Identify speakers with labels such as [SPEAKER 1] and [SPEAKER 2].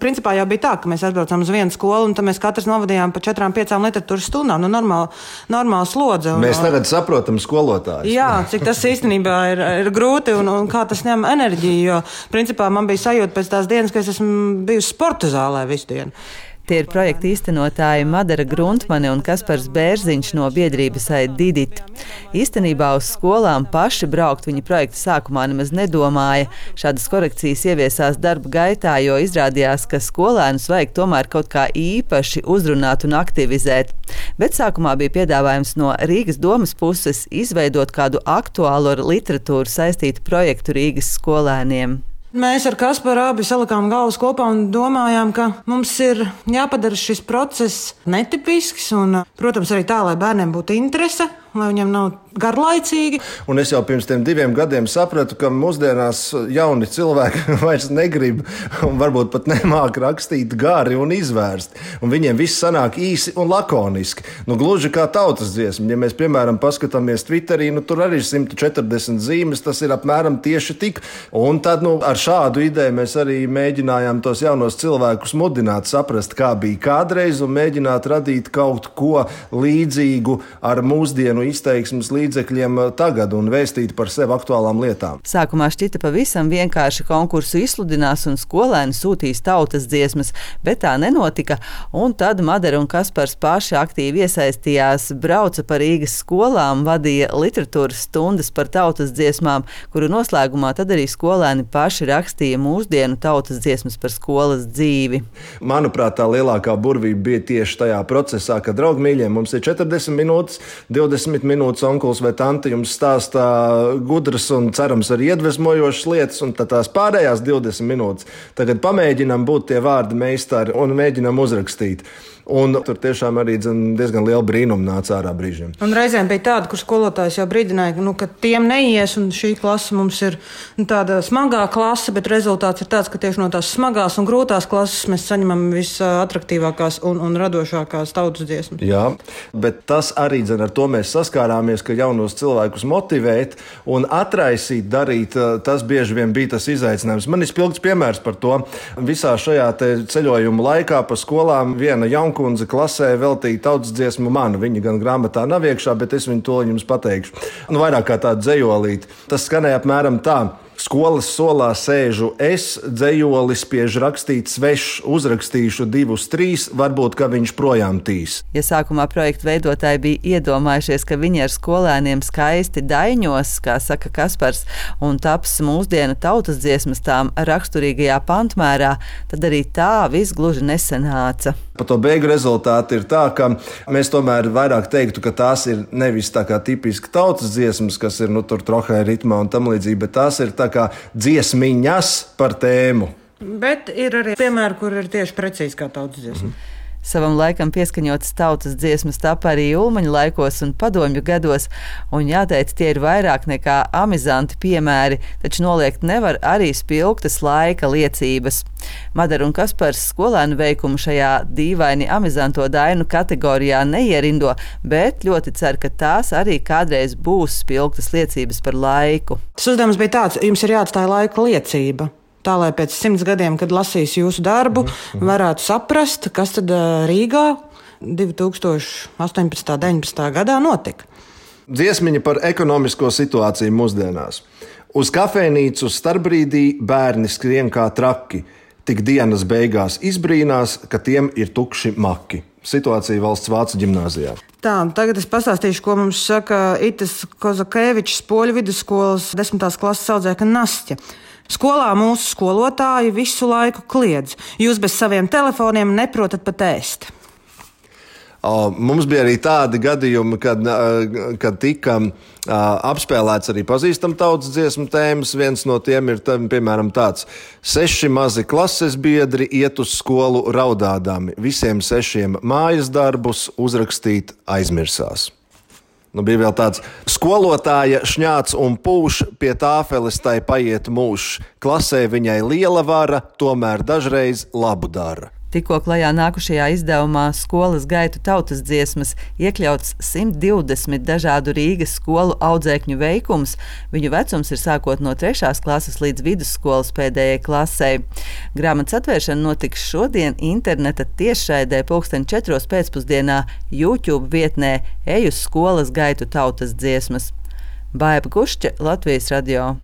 [SPEAKER 1] Principā jau bija tā, ka mēs aizbraucām uz vienu skolu, un tad mēs katrs novadījām pa 4-5 literatūras stundām. Normāla slodze.
[SPEAKER 2] Mēs tagad saprotam skolotājus.
[SPEAKER 1] Jā, cik tas īstenībā ir grūti un kā tas ņem enerģiju, jo principā man bija sajūta pēc tās dienas, ka es esmu bijusi sporta zālē visu dienu.
[SPEAKER 3] Tie ir projekta īstenotāji Madara Gruntmane un Kaspars Bērziņš no biedrības Didit. Īstenībā uz skolām paši braukt viņa projekta sākumā nemaz nedomāja. Šādas korekcijas ieviesās darba gaitā, jo izrādījās, ka skolēnus vajag tomēr kaut kā īpaši uzrunāt un aktivizēt. Bet sākumā bija piedāvājums no Rīgas domas puses izveidot kādu aktuālu ar literatūru saistītu projektu Rīgas skolēniem.
[SPEAKER 1] Mēs ar Kasparu abi salikām galvas kopā un domājām, ka mums ir jāpadara šis process netipisks un, protams, arī tā, lai bērniem būtu interese, lai viņiem nav garlaicīgi.
[SPEAKER 2] Un es jau pirms 2 gadiem sapratu, ka mūsdienās jauni cilvēki vairs negrib un varbūt pat nemāk rakstīt gari un izvērst. Un viņiem viss sanāk īsi un lakoniski. Gluži kā tautas dziesma. Ja mēs, piemēram, paskatāmies Twitterī, tur arī ir 140 zīmes, tas ir apmēram tieši tik. Un tad, ar šādu ideju mēs arī mēģinājām tos jaunos cilvēkus mudināt, saprast, kā bija kādreiz un mēģināt radīt kaut ko līdzīgu ar mūsdienu izteiksmes līdzekļiem tagad un vēstīt par sevi aktuālām lietām.
[SPEAKER 3] Sākumā šķita pavisam vienkārši konkursu izsludinās un skolēni sūtīs tautas dziesmas, bet tā nenotika, un tad Madara un Kaspars paši aktīvi iesaistījās, brauca pa Rīgas skolām, vadīja literatūras stundas par tautas dziesmām, kuru noslēgumā tad arī skolēni paši rakstīja mūsdienu tautas dziesmas par skolas dzīvi.
[SPEAKER 2] Manuprāt, tā lielākā burvība bija tieši tajā procesā, ka, draugi mīļie, mums ir 40 minūtes, 20 minūtes onkulis vai tante jums stāstā gudras un cerams arī iedvesmojošas lietas, un tad tās pārējās 20 minūtes tagad pamēģinām būt tie vārdi meistari un mēģinām uzrakstīt. Un tur tiešām arī diezgan liela brīnuma nāca ārā brīžiem.
[SPEAKER 1] Un reizēm bija tāda, kur skolotājs jau brīdināja, ka tiem neies, un šī klase mums ir tāda smagā klase, bet rezultāts ir tāds, ka tieši no tās smagās un grūtās klases mēs saņemam visatraktīvākās un radošākās tautas dziesmas.
[SPEAKER 2] Jā, bet tas arī ar to mēs saskārāmies, ka jaunos cilvēkus motivēt un atraisīt, darīt, tas bieži vien bija tas izaicinājums. Man ir spilgts piemērs par to. Visā šajā ceļojuma laikā pa skolām viena kundze klasē veltīja tautas dziesmu man. Viņa gan grāmatā nav iekšā, bet es viņu to jums pateikšu. Vairāk kā tādu dzejolīti. Tas skanēja apmēram tā. Skolas solā sēžu es, dzejoli spiež rakstīt svešs, uzrakstīšu 2-3, varbūt, ka viņš projām tīs.
[SPEAKER 3] Ja sākumā projekta veidotāji bija iedomājušies, ka viņi ar skolēniem skaisti daiņos, kā saka Kaspars, un taps mūsdienu tautas dziesmas tām raksturīgajā pantmērā, tad arī tā viss gluži nesanāca.
[SPEAKER 2] Pa to beigu rezultāti ir tā, ka mēs tomēr vairāk teiktu, ka tās ir nevis tā kā tipiski tautas dziesmas, kas ir tur trohē ritmā un tam līdzīgi, bet tās ir tā kā dziesmiņas par tēmu.
[SPEAKER 1] Bet ir arī piemēri, kur ir tieši precīzi kā tautas dziesma.
[SPEAKER 3] Savam laikam pieskaņotas tautas dziesmas tapa arī Ulmaņa laikos un padomju gados, un jāteic, tie ir vairāk nekā amizanti piemēri, taču noliegt nevar arī spilgtas laika liecības. Madara un Kaspars skolēnu veikumu šajā dīvaini amizanto dainu kategorijā neierindo, bet ļoti cer, ka tās arī kādreiz būs spilgtas liecības par laiku.
[SPEAKER 1] Tas uzdevums bija tāds, jums ir jāatstāj laika liecība. Tā, lai pēc 100 gadiem, kad lasīs jūsu darbu, varētu saprast, kas tad Rīgā 2018. 19. gadā notika.
[SPEAKER 2] Dziesmiņa par ekonomisko situāciju mūsdienās. Uz kafejnīcu starpbrīdī bērni skrien kā traki. Tik dienas beigās izbrīnās, ka tiem ir tukši maki. Situācija Valsts vācu ģimnāzijā.
[SPEAKER 1] Tā, tagad es pastāstīšu, ko mums saka Itas Kozakēvičs, Poļu vidusskolas 10. klases audzēkņa Nastja. Skolā mūsu skolotāji visu laiku kliedz. Jūs bez saviem telefoniem neprotat pat ēst.
[SPEAKER 2] Mums bija arī tādi gadījumi, kad tika apspēlēts arī pazīstam tautas dziesmu tēmas. Viens no tiem ir, piemēram, tāds: 6 mazi klases biedri iet uz skolu raudādami. Visiem 6 mājas darbus uzrakstīt aizmirsās. Bija vēl tāds: skolotāja šņāc un pūš, pie tāfeles tai paiet mūžs. Klasē viņai liela vara, tomēr dažreiz labu dara.
[SPEAKER 3] Tikko klajā nākušajā izdevumā Skolas gaitu tautas dziesmas iekļauts 120 dažādu Rīgas skolu audzēkņu veikums. Viņu vecums ir sākot no 3. klases līdz vidusskolas pēdējai klasei. Grāmatas atvēršana notiks šodien interneta tiešraidē 4:00 pēcpusdienā YouTube vietnē Eju Skolas gaitu tautas dziesmas. Baiba Gušķe, Latvijas radio.